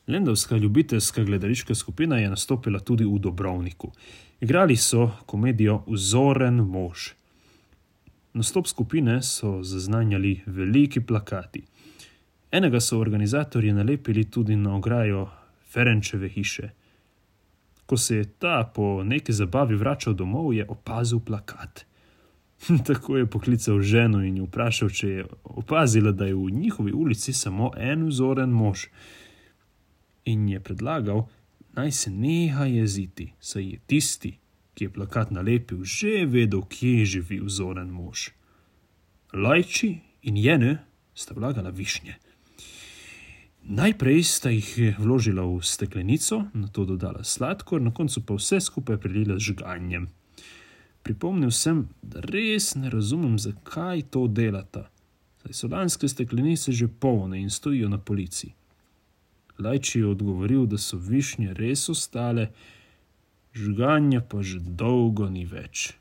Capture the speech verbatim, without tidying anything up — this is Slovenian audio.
Lendavska ljubiteljska gledališka skupina je nastopila tudi v Dobrovniku. Igrali so komedijo Vzoren mož. Nastop skupine so zaznanjali veliki plakati. Enega so organizatorji nalepili tudi na ograjo Ferenčeve hiše. Ko se je ta po neki zabavi vračal domov, je opazil plakat. Tako je poklical ženo in jo vprašal, če je opazila, da je v njihovi ulici samo en vzoren mož. In je predlagal, naj se neha jeziti, saj je tisti, ki je plakat nalepil, že vedel, kje živi vzoren mož. Lajči in Jene sta vlagala višnje. Najprej sta jih vložila v steklenico, nato dodala sladkor, na koncu pa vse skupaj prelila z žganjem. Pripomnil sem, da res ne razumem, zakaj to delata, saj so lanske steklenice že polne in stojijo na polici. Lajči je odgovoril, da so višnje res ostale, žganja pa že dolgo ni več.